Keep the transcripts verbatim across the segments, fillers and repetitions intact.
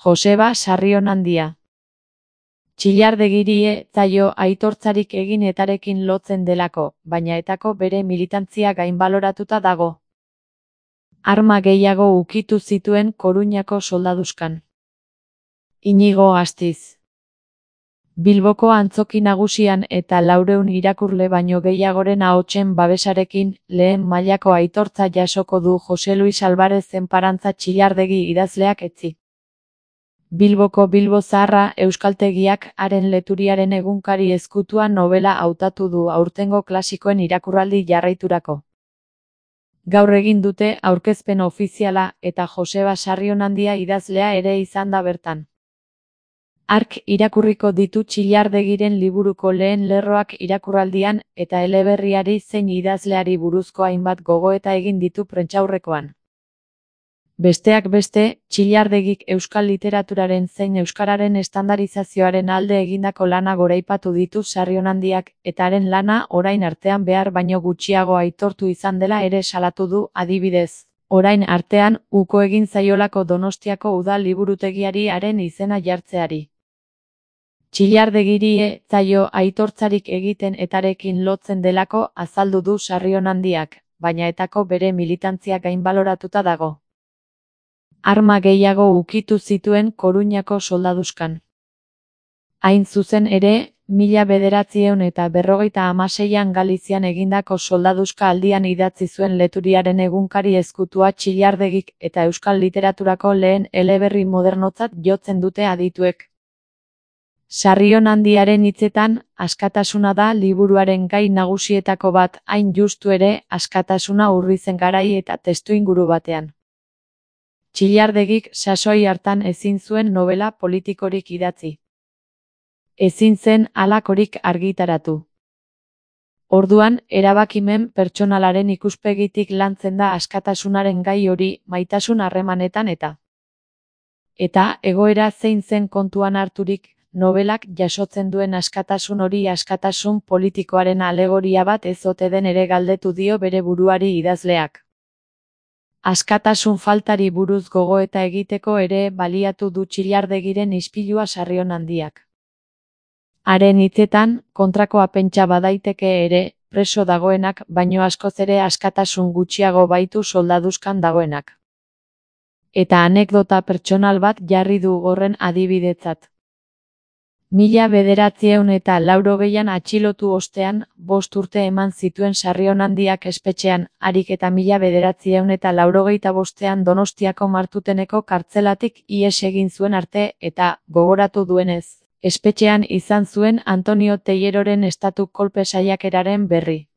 Joseba Sarrionandia. Txillardegiri ez zaio aitortzarik egin etarekin lotzen delako, baina etako bere militantzia gainbaloratuta dago. Arma gehiago ukitu zituen Koruñako soldaduzkan. Inigo Astiz. Bilboko antzoki nagusian eta laurehun irakurle baino gehiagoren ahotsen babesarekin lehen mailako aitortza jasoko du Jose Luis Alvarez Enparantza Txillardegi idazleak etzi. Bilboko Bilbo Zaharra euskaltegiak haren leturiaren egunkari ezkutua nobela hautatu du aurtengo klasikoen irakurraldi jarraiturako. Gaur egin dute aurkezpen ofiziala eta Joseba Sarrionandia idazlea ere izan da bertan. Hark irakurriko ditu Txillardegiren liburuko lehen lerroak irakurraldian eta eleberriari zein idazleari buruzko hainbat gogoeta egin ditu prentsaurrekoan. Besteak beste, Txillardegik euskal literaturaren zein euskararen estandarizazioaren alde egindako lana goraipatu ditu Sarrionandiak eta haren lana orain artean behar baino gutxiago aitortu izan dela ere salatu du, adibidez. Orain artean, uko egin zaiolako Donostiako udal liburutegiari haren izena jartzeari. Txillardegiri ez zaio aitortzarik egiten etarekin lotzen delako azaldu du Sarrionandiak, baina etako bere militantzia gainbaloratuta dago. Arma gehiago ukitu zituen Koruñako soldaduzkan. Hain zuzen ere, mila bederatziehun eta berrogeita hamaseian Galizian egindako soldaduzka aldian idatzi zuen leturiaren egunkari ezkutua Txillardegik eta euskal literaturako lehen eleberri modernotzat jotzen dute adituek. Sarrionandiaren hitzetan, askatasuna da liburuaren gai nagusietako bat, hain justu ere, askatasuna urrizen garai eta testuinguru batean. Txillardegik sasoi hartan ezin zuen nobela politikorik idatzi. Ezin zen halakorik argitaratu. Orduan, erabakimen pertsonalaren ikuspegitik lantzen da askatasunaren gai hori maitasun harremanetan eta. Eta egoera zein zen kontuan harturik, nobelak jasotzen duen askatasun hori askatasun politikoaren alegoria bat ez ote den ere galdetu dio bere buruari idazleak. Askatasun faltari buruz gogoeta egiteko ere baliatu du Txillardegiren ispilua Sarrionandiak. Haren hitzetan, kontrakoa pentsa badaiteke ere, preso dagoenak baino askoz ere askatasun gutxiago baitu soldaduzkan dagoenak. Eta anekdota pertsonal bat jarri du horren adibidetzat. Mila bederatziehun eta laurogeian atxilotu ostean, bost urte eman zituen Sarrionandiak espetxean, harik eta mila bederatziehun eta laurogeita bostean Donostiako Martuteneko kartzelatik ihes egin zuen arte eta, gogoratu duenez, espetxean izan zuen Antonio Teilleroren estatu kolpe saiakeraren berri.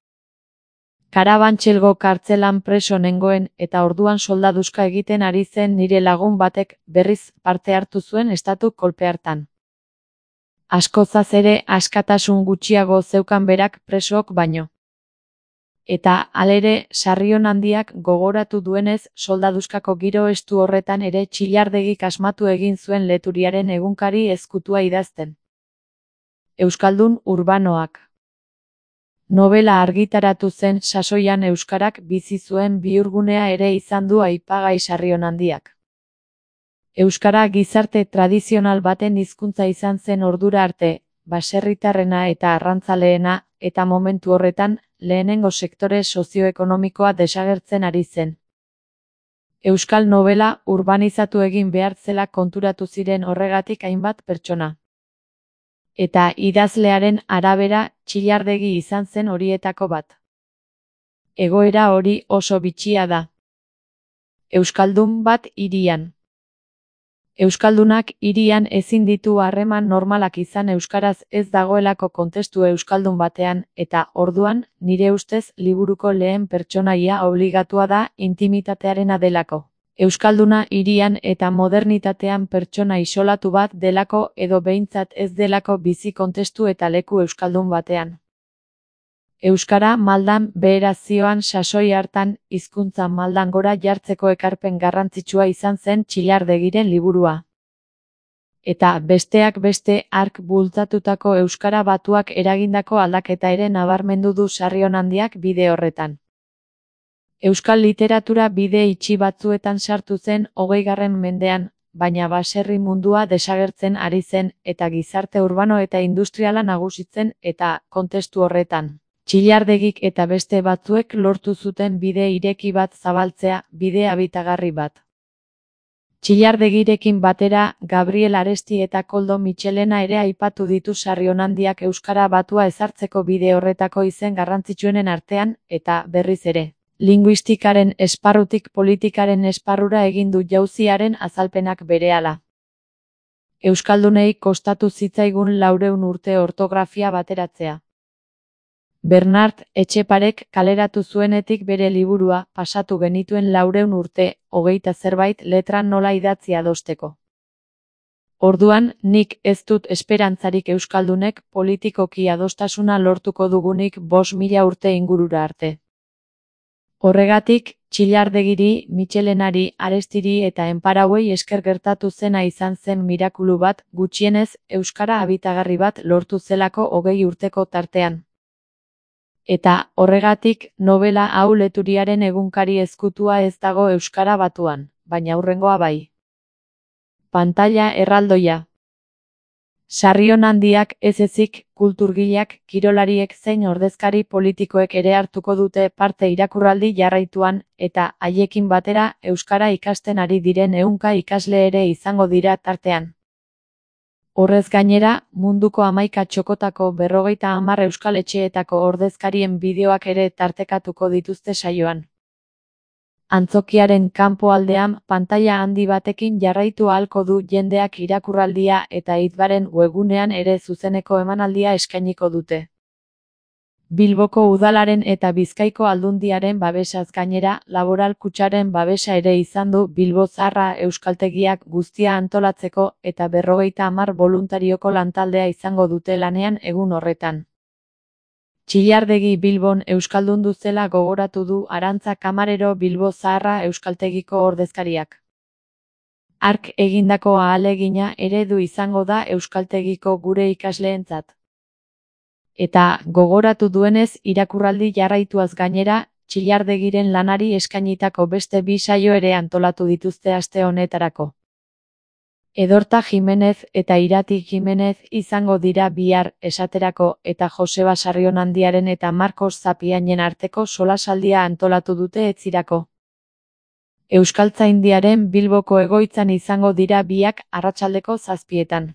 Karabantxelgo kartzelan preso nengoen eta orduan soldaduzka egiten ari zen nire lagun batek berriz parte hartu zuen estatu kolpe hartan. Askozaz ere askatasun gutxiago zeukan berak presook baino. Eta, halere, Sarrionandiak gogoratu duenez soldaduzkako giro estu horretan ere Txillardegik asmatu egin zuen leturiaren egunkari ezkutua idazten. Euskaldun urbanoak. Nobela argitaratu zen sasoian euskarak bizi zuen bihurgunea ere izan du aipagai Sarrionandiak. Euskara gizarte tradizional baten hizkuntza izan zen ordura arte, baserritarrena eta arrantzaleena, eta momentu horretan, lehenengo sektore sozioekonomikoa desagertzen ari zen. Euskal nobela urbanizatu egin behar zela konturatu ziren horregatik hainbat pertsona. Eta idazlearen arabera, Txillardegi izan zen horietako bat. Egoera hori oso bitxia da. Euskaldun bat hirian. Euskaldunak hirian ezin ditu harreman normalak izan euskaraz ez dagoelako kontestu euskaldun batean, eta, orduan, nire ustez liburuko lehen pertsonaia obligatua da intimitatearena delako. Euskalduna hirian eta modernitatean pertsona isolatu bat delako edo behintzat ez delako bizi kontestu eta leku euskaldun batean. Euskara maldan beherazioan sasoi hartan, hizkuntza maldan gora jartzeko ekarpen garrantzitsua izan zen Txillardegiren liburua. Eta, besteak beste, hark bultzatutako euskara batuak eragindako aldaketa ere nabarmendu du Sarrionandiak bide horretan. Euskal literatura bide itxi batzuetan sartu zen hogeigarren mendean, baina baserri mundua desagertzen ari zen eta gizarte urbano eta industriala nagusitzen eta kontestu horretan. Txillardegik eta beste batzuek lortu zuten bide ireki bat zabaltzea, bide habitagarri bat. Txillardegirekin batera, Gabriel Aresti eta Koldo Mitxelena ere aipatu ditu Sarrionandiak euskara batua ezartzeko bide horretako izen garrantzitsuenen artean, eta, berriz ere, linguistikaren esparrutik politikaren esparrura egin du jauziaren azalpenak berehala. Euskaldunei kostatu zitzaigun laurehun urte ortografia bateratzea. Bernard Etxeparek kaleratu zuenetik bere liburua pasatu genituen laurehun urte, hogeita zerbait letra nola idatzi adosteko. Orduan, nik ez dut esperantzarik euskaldunek politikoki adostasuna lortuko dugunik bost mila urte ingurura arte. Horregatik, Txillardegiri, Mitxelenari, Arestiri eta Enparauei esker gertatu zena izan zen mirakulu bat, gutxienez, euskara habitagarri bat lortu zelako hogei urteko tartean. Eta, horregatik, nobela hau Leturiaren egunkari ezkutua ez dago euskara batuan, baina hurrengoa bai. Pantaila erraldoia. Sarrionandiak ez ezik, kulturgileak, kirolariek zein ordezkari politikoek ere hartuko dute parte irakurraldi jarraituan, eta, haiekin batera, euskara ikasten ari diren ehunka ikasle ere izango dira tartean. Horrez gainera, munduko hamaika txokotako berrogeita hamar euskal etxeetako ordezkarien bideoak ere tartekatuko dituzte saioan. Antzokiaren kanpoaldean pantaila handi batekin jarraitu ahalko du jendeak irakurraldia eta Idbaren webgunean ere zuzeneko emanaldia eskainiko dute. Bilboko udalaren eta Bizkaiko aldundiaren babesaz gainera, Laboral Kutxaren babesa ere izan du Bilbo Zaharra euskaltegiak guztia antolatzeko eta berrogeita hamar boluntarioko lantaldea izango dute lanean egun horretan. Txillardegi Bilbon euskaldundu zela gogoratu du Arantza Kamarero Bilbo Zaharra euskaltegiko ordezkariak. Hark egindako ahalegina eredu izango da euskaltegiko gure ikasleentzat. Eta, gogoratu duenez irakurraldi jarraituaz gainera, Txillardegiren lanari eskainitako beste bi saio ere antolatu dituzte aste honetarako. Edorta Jimenez eta Irati Jimenez izango dira bihar esaterako eta Joseba Sarrionandiaren eta Marcos Zapiainen arteko solasaldia antolatu dute etzirako. Euskaltzaindiaren Bilboko egoitzan izango dira biak arratsaldeko zazpietan.